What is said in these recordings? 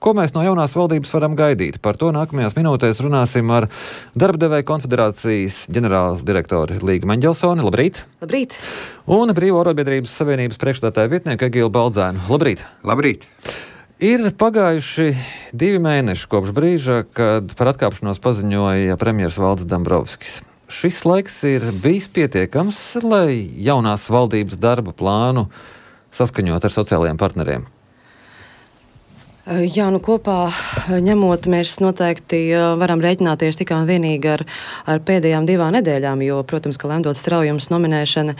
Ko mēs no jaunās valdības varam gaidīt? Par to nākamajās minūtēs runāsim ar Darbdevēju konfederācijas ģenerāldirektoru Līgu Meņģelsoni. Labrīt! Labrīt! Un Brīvo arotbiedrības savienības priekšstādātāja vietnieku Egilu Baldzēnu. Labrīt! Labrīt! Ir pagājuši 2 mēneši kopš brīža, kad par atkāpšanos paziņoja premjers Valdis Dombrovskis. Šis laiks ir bijis pietiekams, lai jaunās valdības darba plānu saskaņot ar sociālajiem partneriem. Jā, kopā ņemot, mēs noteikti varam rēķināties tikai un vienīgi ar pēdējām 2 nedēļām, jo, protams, ka lemdot straujums nominēšana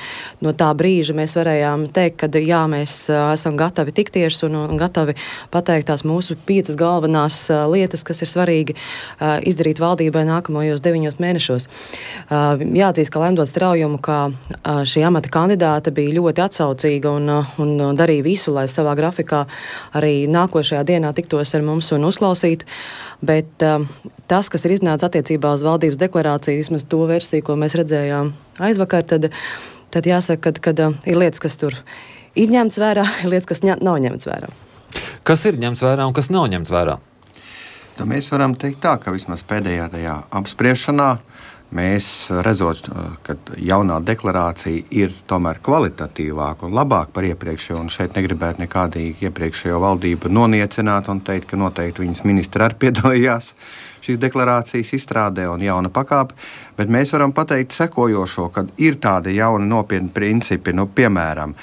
no tā brīža mēs varējām teikt, ka jā, mēs esam gatavi tikties un gatavi pateikt tās mūsu 5 galvenās lietas, kas ir svarīgi izdarīt valdībai nākamajos 9 mēnešos. Jāatzīst, ka lemdot straujumu, ka šī amata kandidāte bija ļoti atsaucīga un darīja visu, lai savā grafikā arī nākošajā dienā tiktos ar mums un uzklausītu, bet tas, kas ir iznācis attiecībā uz valdības deklarāciju, vismaz to versiju, ko mēs redzējām aizvakar, tad jāsaka, ka ir lietas, kas tur ir ņemts vērā, ir lietas, kas nav ņemts vērā. Kas ir ņemts vērā un kas nav ņemts vērā? Tad mēs varam teikt tā, ka vismaz pēdējā tajā apspriešanā mēs redzot, ka jaunā deklarācija ir tomēr kvalitatīvāka un labāka par iepriekšējo, un šeit negribētu nekādīgi iepriekšējo valdību noniecināt un teikt, ka noteikti viņas ministri arī piedalījās šīs deklarācijas izstrādē un jauna pakāpe, bet mēs varam pateikt sekojošo, ka ir tādi jauni nopietni principi, piemēram,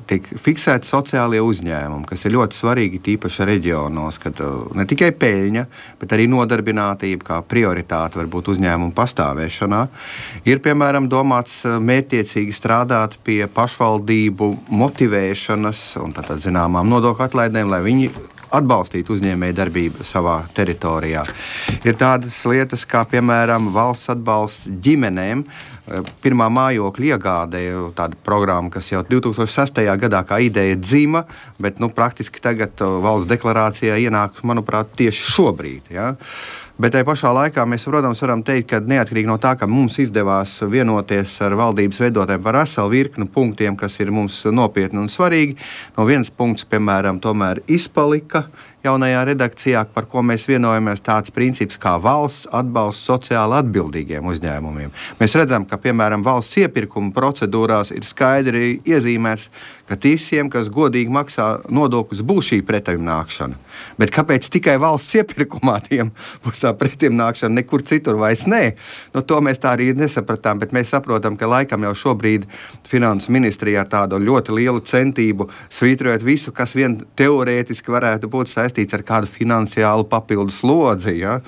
tiek fiksēti sociālie uzņēmumi, kas ir ļoti svarīgi tīpaši reģionos, kad ne tikai peļņa, bet arī nodarbinātība kā prioritāte var būt uzņēmumu pastāvēšanā. Ir, piemēram, domāts mērķtiecīgi strādāt pie pašvaldību motivēšanas un tātad zināmām nodokļu atlaidēm, lai viņi atbalstīt uzņēmēju darbību savā teritorijā. Ir tādas lietas kā, piemēram, valsts atbalsts ģimenēm. Pirmā mājokļa iegāde, tāda programma, kas jau 2006. gadā kā ideja dzima, bet praktiski tagad valsts deklarācijā ienāk, manuprāt, tieši šobrīd. Ja? Bet tajā pašā laikā mēs, protams, varam teikt, ka neatkarīgi no tā, ka mums izdevās vienoties ar valdības veidotājiem par veselu virkni punktiem, kas ir mums nopietni un svarīgi, no viens punkts, piemēram, tomēr izpalika jaunajā redakcijā, par ko mēs vienojamies, tāds princips kā valsts atbalsts sociāli atbildīgiem uzņēmumiem. Mēs redzam, ka, piemēram, valsts iepirkuma procedūrās ir skaidri iezīmēts, ka visiem, kas godīgi maksā nodokļus, būs šī pretimnākšana. Bet kāpēc tikai valsts iepirkumā tiem būs tā pretimnākšana, nekur citur vairs nē? To mēs tā arī nesapratām, bet mēs saprotam, ka laikam jau šobrīd Finansu ministrijā ar tādu ļoti lielu centību svītrojot visu, kas vien teorētiski varētu būt saistīts ar kādu finansiālu papildu slodzi, ja?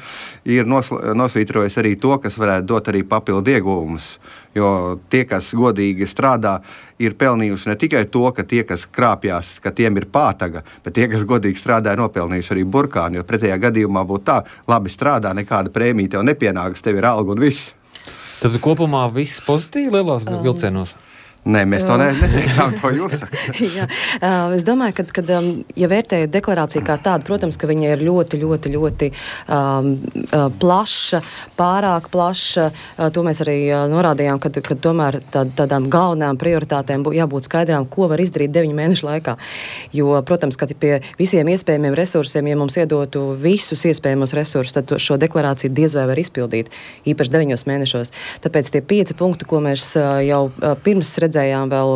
Ir nosvītrojis arī to, kas varētu dot arī papildu ieguvumus. Jo tie, kas godīgi strādā, ir pelnījuši ne tikai to, ka tie, kas krāpjās, ka tiem ir pātaga, bet tie, kas godīgi strādā, ir nopelnījuši arī burkāni, jo pretējā gadījumā būtu tā, labi strādā, nekāda prēmija tev nepienākas, tev ir alga un viss. Tad kopumā viss pozitīvi lielās vilcienos? Nē, mēs to neteicām, to jūs sakat. Es domāju, ka ja vērtējat deklarāciju kā tādu, protams, ka viņa ir ļoti plaša, pārāk plaša. To mēs arī norādījām, ka tomēr tādām galvenām prioritātēm jābūt skaidrām, ko var izdarīt 9 mēnešu laikā. Jo, protams, ka pie visiem iespējamiem resursiem, ja mums iedotu visus iespējamos resursus, tad šo deklarāciju diez vai var izpildīt, īpaši 9 mēnešos. Tāpēc tie 5 punkti, ko mēs jau pirms redzējām vēl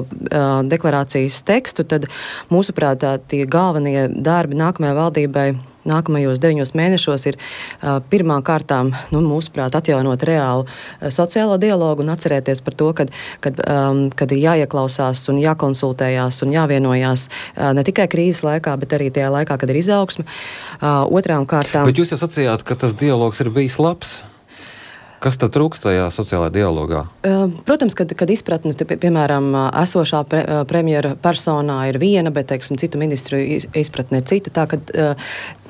deklarācijas tekstu, tad mūsuprāt tie galvenie darbi nākamajai valdībai nākamajos 9 mēnešos ir pirmām kārtām, mūsuprāt, atjaunot reālu sociālo dialogu un atcerēties par to, kad ir jāieklausās un jākonsultējās un jāvienojās ne tikai krīzes laikā, bet arī tajā laikā, kad ir izaugsme. Otrām kārtām... Bet jūs jau sacījāt, ka tas dialogs ir bijis labs. Kas tad trūkst tajā sociālajā dialogā? Protams, kad izpratne, piemēram, esošā premjera personā ir viena, bet, citu ministru izpratne ir cita, tā ka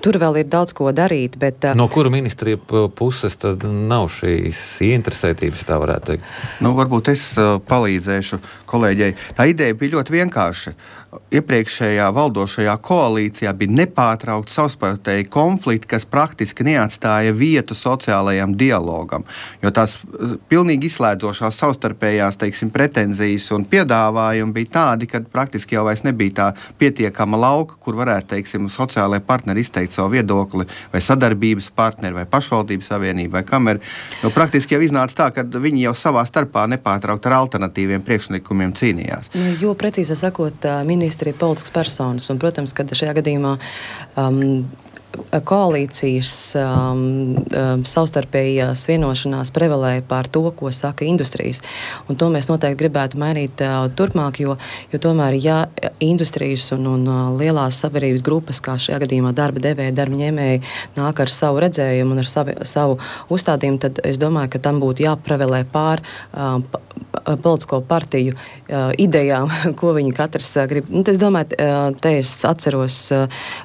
tur vēl ir daudz ko darīt, bet... No kura ministrija puses tad nav šīs ieinteresētības, tā varētu teikt? Varbūt es palīdzēšu kolēģei. Tā ideja bija ļoti vienkārša. Iepriekšējā valdošajā koalīcijā bija nepārtraukti savstarpēji konflikti, kas praktiski neatstāja vietu sociālajam dialogam, jo tās pilnīgi izslēdzošās savstarpējās, pretenzijas un piedāvājumi bija tādi, ka praktiski jau vairs nebija tā pietiekama lauka, kur varētu, sociālajie partneri izteikt izteikt savu viedokli, vai sadarbības partneri, vai pašvaldības savienība, vai kamera. Praktiski jau iznāca tā, ka viņi jau savā starpā nepārtraukt ar alternatīviem priekšlikumiem cīnījās. Jo precīzāk sakot, ministri ir politisks personas, un, protams, kad šajā gadījumā koalīcijas savstarpējās vienošanās prevalēja pār to, ko saka industrijas. Un to mēs noteikti gribētu mainīt turpmāk, jo tomēr, ja industrijas un lielās sabiedrības grupas, kā šajā gadījumā darba devēji, darba ņēmēji, nāk ar savu redzējumu un ar savu uzstādījumu, tad es domāju, ka tam būtu jāprevalē pār politisko partiju idejām, ko viņi katrs grib. Es domāju, te es atceros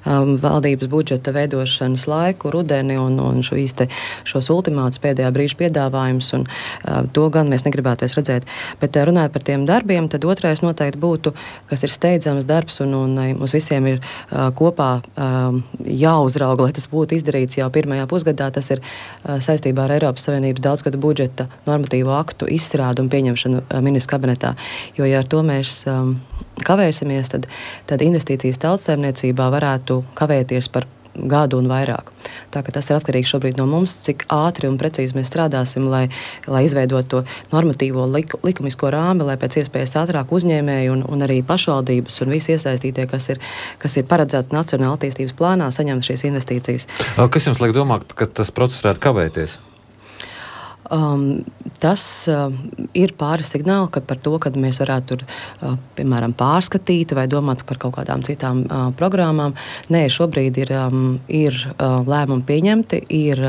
valdības budžeta veidošanas laiku, rudeni un šos ultimātus pēdējā brīža piedāvājumus, un to gan mēs negribētos redzēt. Bet runājot par tiem darbiem, tad otrais noteikti būtu, kas ir steidzams darbs, un mums visiem ir kopā jāuzrauga, lai tas būtu izdarīts jau pirmajā pusgadā. Tas ir saistībā ar Eiropas Savienības daudzgadu budžeta normatīvo aktu izstrādu un pieņemšanu ministru kabinetā. Jo, ja ar to mēs kavēsimies, tad investīcijas tautssaimniecībā varētu kavēties par gadu un vairāk. Tā ka tas ir atkarīgs šobrīd no mums, cik ātri un precīzi mēs strādāsim, lai izveidotu to normatīvo likumisko rāmi, lai pēc iespējas ātrāk uzņēmēji un arī pašvaldības un visi iesaistītie, kas ir paredzēts Nacionāla attīstības plānā, saņemt šīs investīcijas. Kas jums liek domāt, ka tas process varētu kavēties? Tas ir pāris signāli, ka par to, kad mēs varētu tur, piemēram, pārskatīt vai domāt par kaut kādām citām programmām. Nē, šobrīd ir lēmumi pieņemti, ir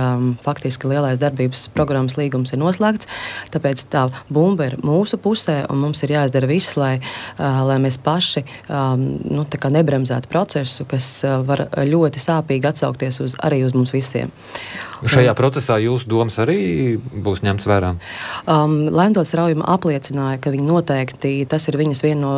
faktiski lielais darbības programmas līgums ir noslēgts, tāpēc tā bumba ir mūsu pusē, un mums ir jāizdara viss, lai mēs paši tā kā nebremzētu procesu, kas var ļoti sāpīgi atsaukties arī uz mums visiem. Šajā procesā jūsu domas arī būs ņemts vērā? Lemdots Straujuma apliecināja, ka viņi noteikti, tas ir viņas viena no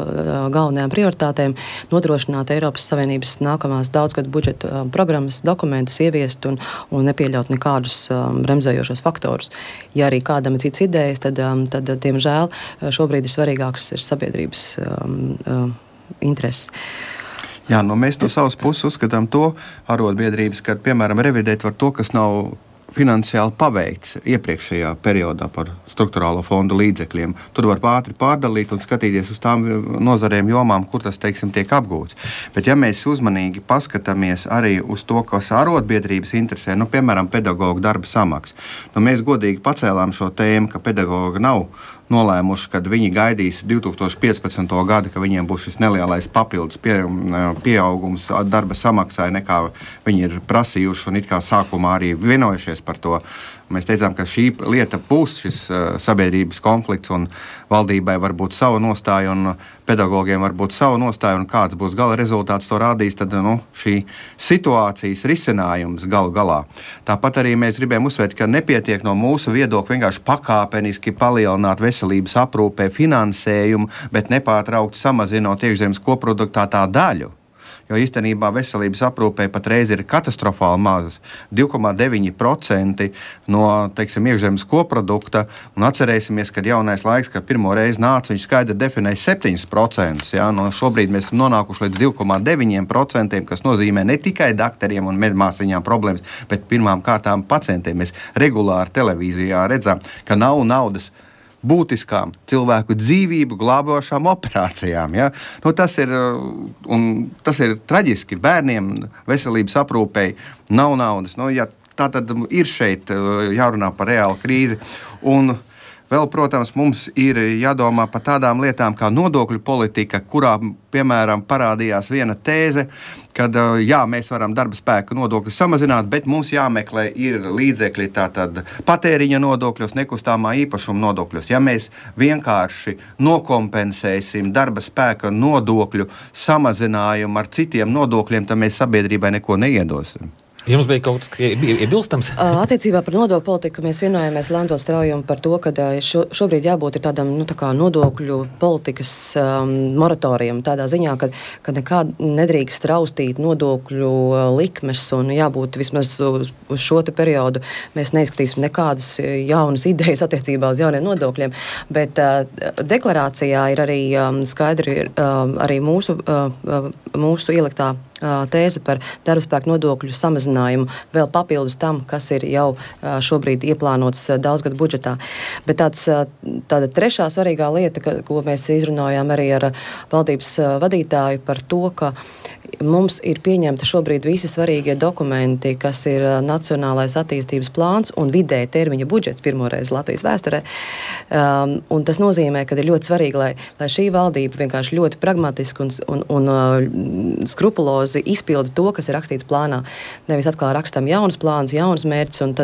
galvenajām prioritātēm, nodrošināt Eiropas Savienības nākamās daudzgadu budžeta programmas dokumentus, ieviest un nepieļaut nekādus bremzējošos faktorus. Ja arī kādam ir cits idejas, tad diemžēl, šobrīd ir svarīgākas sabiedrības intereses. Jā, mēs no savas puses uzskatām to arotbiedrības, ka, piemēram, revidēt var to, kas nav finansiāli paveikts iepriekšējā periodā par struktūrālo fondu līdzekļiem. Tur var ātri pārdalīt un skatīties uz tām nozarēm jomām, kur tas, teiksim, tiek apgūts. Bet ja mēs uzmanīgi paskatāmies arī uz to, kas arotbiedrības interesē, piemēram, pedagoģu darba samaksa, mēs godīgi pacēlām šo tēmu, ka pedagoģi nav nolēmuši, kad viņi gaidīs 2015. gadu, ka viņiem būs šis nelielais papildus pieaugums darba samaksai, nekā viņi ir prasījuši un it kā sākumā arī vienojušies par to. Mēs teicām, ka šī lieta būs šis sabiedrības konflikts un valdībai var būt sava nostāja un pedagogiem var būt sava nostāja un kāds būs gala rezultāts to rādīs, tad šī situācijas risinājums galu galā. Tāpat arī mēs gribējām uzsvērt, ka nepietiek no mūsu viedokļa vienkārši pakāpeniski palielināt veselības aprūpē finansējumu, bet nepārtraukti samazinot iekšzemes koproduktā tā daļu. Jo īstenībā veselības aprūpē patreiz ir katastrofāli mazas. 2,9% no, iekšzemes koprodukta, un atcerēsimies, kad jaunais laiks, kad pirmo reizi nāca, viņš skaidri definēja 7%. Ja? Šobrīd mēs esam nonākuši līdz 2,9%, kas nozīmē ne tikai dakteriem un medmāsiņām problēmas, bet pirmām kārtām pacientiem. Mēs regulāri televīzijā redzam, ka nav naudas būtiskām cilvēku dzīvību glābošām operācijām. Ja? Tas ir traģiski. Bērniem veselības aprūpei nav naudas. Tā tad ir šeit jārunā par reālu krīzi. Un vēl, protams, mums ir jādomā par tādām lietām kā nodokļu politika, kurā, piemēram, parādījās viena tēze, kad, mēs varam darba spēka nodokļus samazināt, bet mums jāmeklē ir līdzekļi tātad patēriņa nodokļos, nekustamā īpašuma nodokļos. Ja mēs vienkārši nokompensēsim darba spēka nodokļu samazinājumu ar citiem nodokļiem, tad mēs sabiedrībai neko neiedosim. Jums bija kaut kas iebilstams? Attiecībā par nodokļu politiku mēs vienojāmies Lemdots Straujumu par to, ka šobrīd jābūt ir tādam nodokļu politikas moratorijam, tādā ziņā, ka nekād nedrīkst traustīt nodokļu likmes un jābūt vismaz uz šo te periodu. Mēs neizskatīsim nekādus jaunas idejas attiecībā uz jauniem nodokļiem, bet deklarācijā ir arī skaidri arī mūsu ieliktā tēze par darbspēku nodokļu samazinājumu vēl papildus tam, kas ir jau šobrīd ieplānots daudzgadu budžetā. Bet tāda trešā svarīgā lieta, ko mēs izrunājām arī ar valdības vadītāju par to, ka mums ir pieņemta šobrīd visi svarīgie dokumenti, kas ir Nacionālais attīstības plāns un vidēja termiņa budžets pirmoreiz Latvijas vēsturē. Un tas nozīmē, ka ir ļoti svarīgi, lai šī valdība vienkārši ļoti pragmatiski un skrupulozi izpilda to, kas ir rakstīts plānā. Nevis atkal rakstam jaunas plānas, jaunas mērķus, un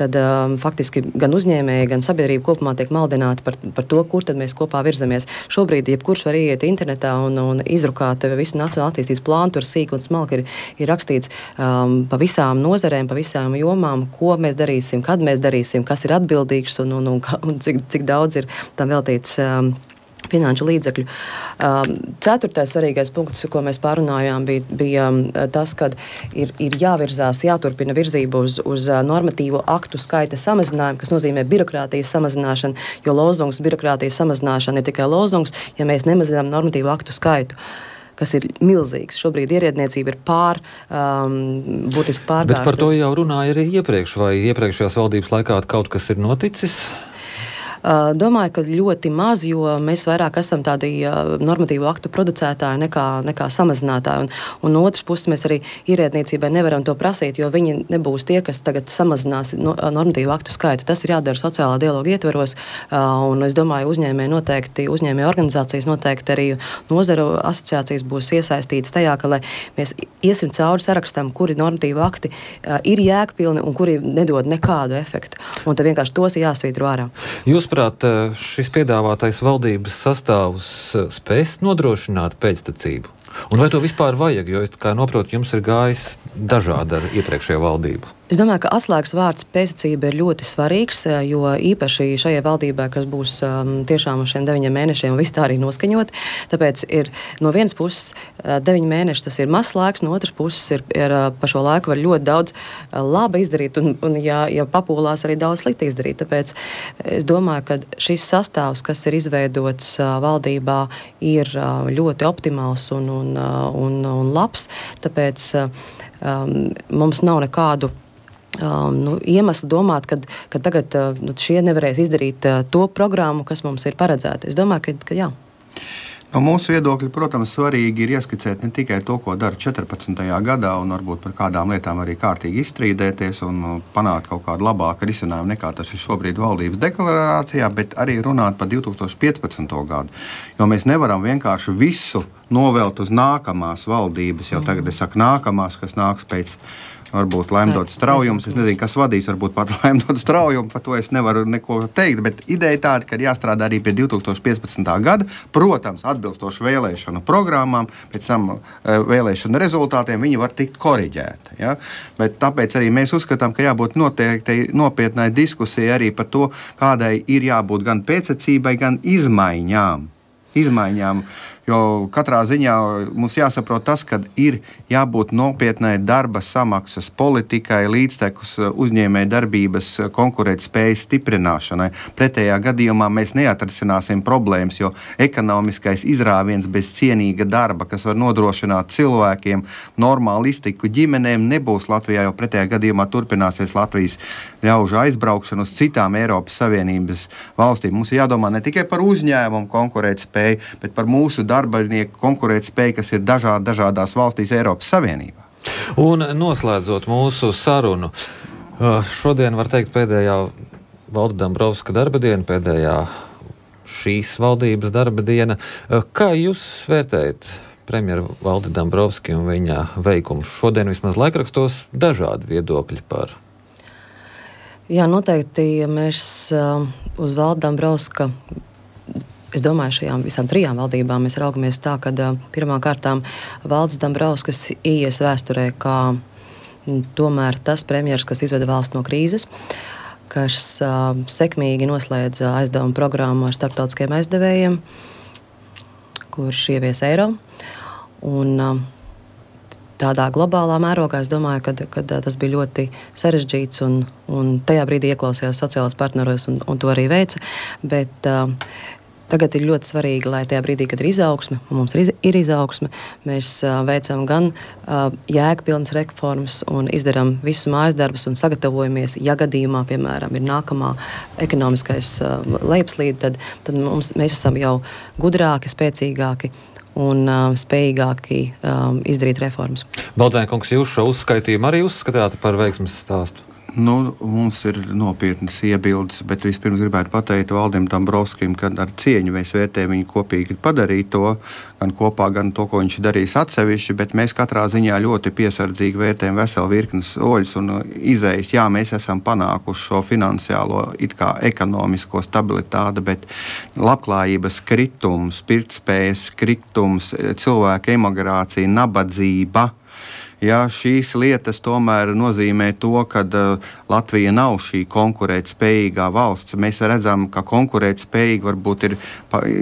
tad faktiski gan uzņēmēji, gan sabiedrība kopumā tiek maldināti par to, kur tad mēs kopā virzamies. Šobrīd jebkurš var iet internetā un izrukāt visu Nacionālo attīstības plānu. Tur sīk un smalki ir rakstīts pa visām nozarēm, pa visām jomām, ko mēs darīsim, kad mēs darīsim, kas ir atbildīgs un cik daudz ir tam veltīts finanšu līdzekļu. Ceturtais svarīgais punkts, ko mēs pārunājām, bija tas, ka ir jāvirzās, jāturpina virzība uz normatīvo aktu skaita samazinājumu, kas nozīmē birokrātijas samazināšanu, jo lozungs birokrātijas samazināšana ir tikai lozungs, ja mēs nemazinām normatīvo aktu skaitu, kas ir milzīgs. Šobrīd ierēdniecība ir būtiski pārgājusi. Bet par to jau runāja arī iepriekš, vai iepriekšējās valdības laikā kaut kas ir noticis? Domāju, ka ļoti maz, jo mēs vairāk esam tādi normatīvu aktu producētāji nekā samazinātāji. Un no otras puses mēs arī ierēdniecībai nevaram to prasīt, jo viņi nebūs tie, kas tagad samazinās normatīvu aktu skaitu. Tas ir jādara sociālā dialoga ietveros, un es domāju, uzņēmēju organizācijas noteikti arī nozaru asociācijas būs iesaistītas tajā, ka lai mēs iesim cauri sarakstam, kuri normatīvu akti ir jēgpilni un kuri nedod nekādu efektu. Un tad vienkārši tos ir jāsvītro ārā. Jūsuprāt, šis piedāvātais valdības sastāvs spēs nodrošināt pēctecību? Un vai to vispār vajag? Jo, kā noprotu, jums ir gājis dažādi ar iepriekšējo valdību. Es domāju, ka atslēgas vārds pēctecība ir ļoti svarīgs, jo īpaši šajai valdībai, kas būs tiešām uz šiem 9 mēnešiem, viss tā arī noskaņot. Tāpēc ir no vienas puses 9 mēneši, tas ir mazs laiks, no otras puses ir pa šo laiku var ļoti daudz laba izdarīt, un ja papūlās arī daudz slikti izdarīt. Tāpēc es domāju, ka šis sastāvs, kas ir izveidots valdībā, ir ļoti optimāls un labs. Tāpēc mums nav nekādu iemeslu domāt, ka tagad šie nevarēs izdarīt to programmu, kas mums ir paredzēta. Es domāju, ka jā. No mūsu viedokļa, protams, svarīgi ir ieskicēt ne tikai to, ko dara 14. gadā, un varbūt par kādām lietām arī kārtīgi izstrīdēties un panākt kaut kādu labāku risinājumu nekā tas ir šobrīd valdības deklarācijā, bet arī runāt par 2015. gadu. Jo mēs nevaram vienkārši visu novelt uz nākamās valdības, jau tagad es saku nākamās, kas nāks pēc varbūt Laimdots Straujums. Es nezinu, kas vadīs, varbūt pat Laimdots Straujumu, par to es nevaru neko teikt, bet ideja tāda, ka jāstrādā arī pie 2015. gada, protams, atbilstoši vēlēšanu programmām, pēc tam vēlēšanu rezultātiem viņi var tikt koriģēti. Ja? Bet tāpēc arī mēs uzskatām, ka jābūt noteikti nopietnai diskusijai arī par to, kādai ir jābūt gan pēctecībai, gan izmaiņām. Jo katrā ziņā mums jāsaprot tas, ka ir jābūt nopietnai darba samaksas politikai, līdztekus uzņēmēju darbības konkurētspējas stiprināšanai. Pretējā gadījumā mēs neatrisināsim problēmas, jo ekonomiskais izrāviens bez cienīga darba, kas var nodrošināt cilvēkiem normālu iztiku ģimenēm, nebūs Latvijā, jo pretējā gadījumā turpināsies Latvijas ļaužu aizbraukšana uz citām Eiropas Savienības valstīm. Mums ir jādomā ne tikai par uzņēmumu konkurētspēju, bet par mūsu darbinieku konkurētspēju, kas ir dažādās valstīs Eiropas Savienībā. Un noslēdzot mūsu sarunu, šodien var teikt pēdējā Valda Dambrovska darba diena, pēdējā šīs valdības darba diena. Kā jūs vērtējat premjeru Valdi Dambrovski un viņa veikumu? Šodien vismaz laikrakstos dažādi viedokļi par. Jā, noteikti mēs uz Valda Dambrovska, es domāju, šajām visām 3 valdībām mēs raugamies tā, ka pirmām kārtām Valds Dambrovskis ieies vēsturē kā tomēr tas premjers, kas izveda valsts no krīzes, kas sekmīgi noslēdza aizdevumu programmu ar starptautiskiem aizdevējiem, kurš ievies eiro. Un tādā globālā mērogā es domāju, ka tas bija ļoti sarežģīts un tajā brīdī ieklausījās sociālos partneros un to arī veica. Bet Tagad ir ļoti svarīgi, lai tajā brīdī, kad ir izaugsme, un mums ir izaugsme, mēs veicam gan jēgpilnas reformas un izdarām visu mājas darbus un sagatavojamies, ja gadījumā, piemēram, ir nākamā ekonomiskais lejupslīde, tad mēs esam jau gudrāki, spēcīgāki un spējīgāki izdarīt reformas. Baldzēna kungs, jūs šo uzskaitījumu arī uzskatāt par veiksmes stāstu? Mums ir nopietnas iebildes, bet vispirms gribētu pateikt Valdim Dombrovskim, ka ar cieņu mēs vērtējam viņu kopīgi padarīt to, gan kopā, gan to, ko viņš darīs atsevišķi, bet mēs katrā ziņā ļoti piesardzīgi vērtējam veselu virkni soļus un izējas. Jā, mēs esam panākuši šo finansiālo, it kā ekonomisko stabilitāti, bet labklājības kritums, pirktspējas kritums, cilvēka emigrācija, nabadzība. Ja, šīs lietas tomēr nozīmē to, ka Latvija nav šī konkurētspējīgā valsts. Mēs redzam, ka konkurētspējīgi varbūt ir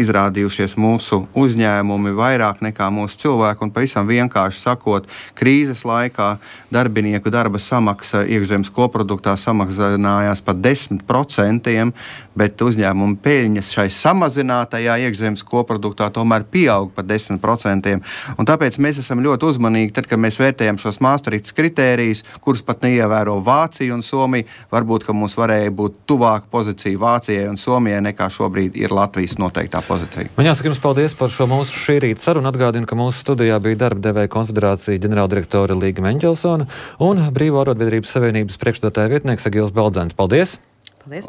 izrādījušies mūsu uzņēmumi vairāk nekā mūsu cilvēki. Un pavisam vienkārši sakot, krīzes laikā darbinieku darba samaksa iekšzemes koproduktā samazinājās par 10%, bet uzņēmuma peļņas šai samazinātajā iekšzemes koproduktā tomēr pieaug par 10%. Un tāpēc mēs esam ļoti uzmanīgi, tad, kad mēs vērtējam šos Maastrichtas kritērijus, kurus pat neievēro Vācija un Somija. Varbūt, ka mums varēja būt tuvāka pozīcija Vācijai un Somijai nekā šobrīd ir Latvijas noteiktā pozīcija. Man jāsaka jums paldies par šo mūsu šī rīta sarunu. Atgādinu, ka mūsu studijā bija Darba devēja konfederācija ģenerāldirektore Līga Meņģelsone un Brīvo arotbiedrības savienības priekšstādātāja vietnieks Egils Baldzēns. Paldies! Paldies!